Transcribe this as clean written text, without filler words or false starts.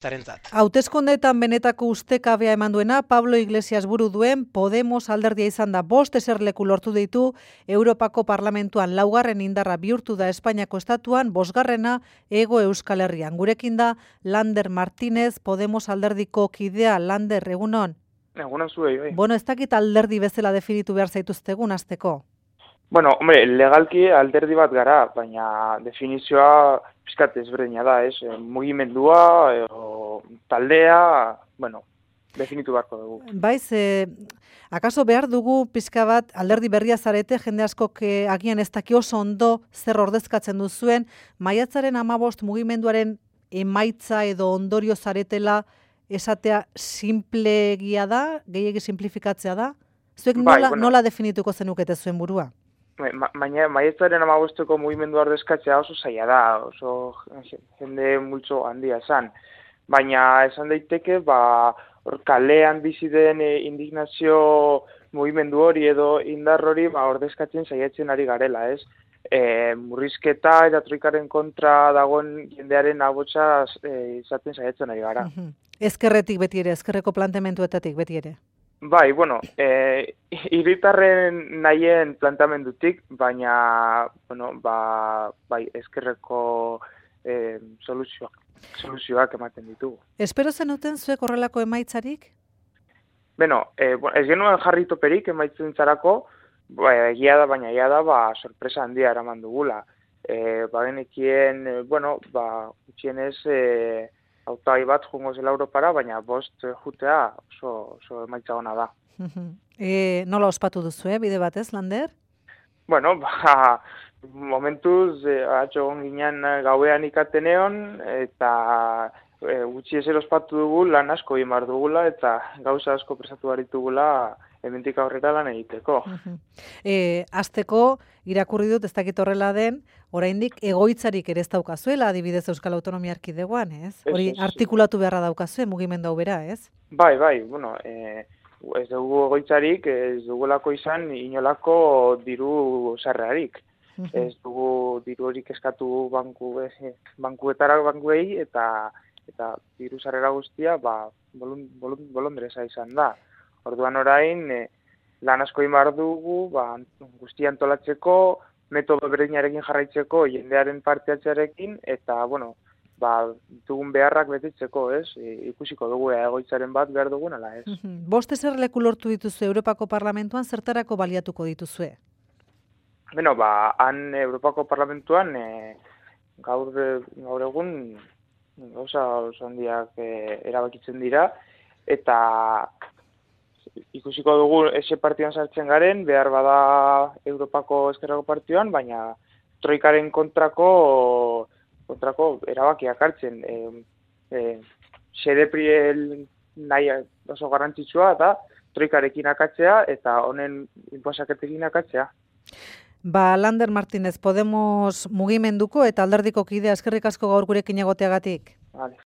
zarentzat. Hauteskundeetan benetako ustekabea eman duena Pablo Iglesias buru duen Podemos alderdia izan da. 5 eserleku lortu ditu Europako Parlamentuan, 4. indarra bihurtu da Espainiako estatuan, 5. Hego Euskal Herrian. Gurekin da Lander Martínez, Podemos alderdiko kidea. Lander, egunon? Egunon zuei, bai. Bueno, ez dakit alderdi bezala definitu behar zaituztegun hasteko. Bueno, hombre, legalki alderdi bat gara, baina definizioa pizkat ezberdina da, ez? Mugimendua, taldea, bueno, definitu beharko dugu. Baiz, akaso behar dugu pixka bat alderdi berria zarete, jende askok agian ez daki oso ondo zer ordezkatzen duzuen, maiatzaren 15 mugimenduaren emaitza edo ondorio zaretela esatea simplegia da, gehiegi simplifikatzea da? Zuek nola definituko zenukete zuen burua? Maiatzaren 15ko mugimendua ordezkatzea oso zaila da, oso jende multzo handia esan. Baina esan daiteke, kalean bizi den indignazio mugimendu hori edo indar hori ordezkatzen saiatzen ari garela, ez? Murrizketa eta troikaren kontra dagoen jendearen ahotsa izaten saiatzen ari gara. Ezkerretik beti ere, ezkerreko planteamenduetatik beti ere. Bai, bueno, hiritarren nahien plantamendutik, baina, bueno, bai, ezkerreko soluzioak ematen ditugu. Espero zenuten zuek horrelako emaitzarik? Beno, ez genuen jarri toperik emaitzen zarako, egia da, sorpresa handia eraman dugula. Bagenekien, gutxienez, hautagai bat jungo zela Europara, baina 5 jutea oso emaitza ona da. Nola ospatu duzu, bide batez, Lander? Bueno, momentuz, atxogon ginen gauean ikateneon, eta gutxi ezer ospatu dugu, lan asko imar dugula, eta gauza asko presatu baritugula hemendik aurrera lan egiteko. Hasteko irakurri dut, ez dakit horrela den, oraindik egoitzarik ere ez daukazuela, adibidez Euskal Autonomia Erkidegoan, ez? Hori artikulatu beharra daukazue, mugimendu hau bera, ez? Bai, bueno, ez dugu egoitzarik, ez dugulako izan inolako diru sarrerarik. Ez dugu diru horik eskatu bankuei eta diru sarrera guztia bolondresa izan da. Orduan orain, lan asko imar dugu, guztia antolatzeko, metodo berdinarekin jarraitzeko, jendearen parteatzearekin, eta, dugun beharrak betetzeko, ez? Ikusiko dugu egoitzaren bat behar dugun, ala ez? 5 eserleku lortu dituzu Europako Parlamentuan, zertarako baliatuko dituzue? Beno, han Europako Parlamentuan, gaur egun, gauza oso handiak erabakitzen dira, eta ikusiko dugu ese partioan sartzen garen, behar bada Europako Ezkerrako partioan, baina troikaren kontrako erabakiak hartzen. Xedepriel nahi oso garrantzitsua eta troikarekin akatzea eta honen inposaketekin akatzea. Lander Martínez, Podemos mugimenduko eta alderdiko kidea, eskerrik asko gaur gurekin egoteagatik. Vale.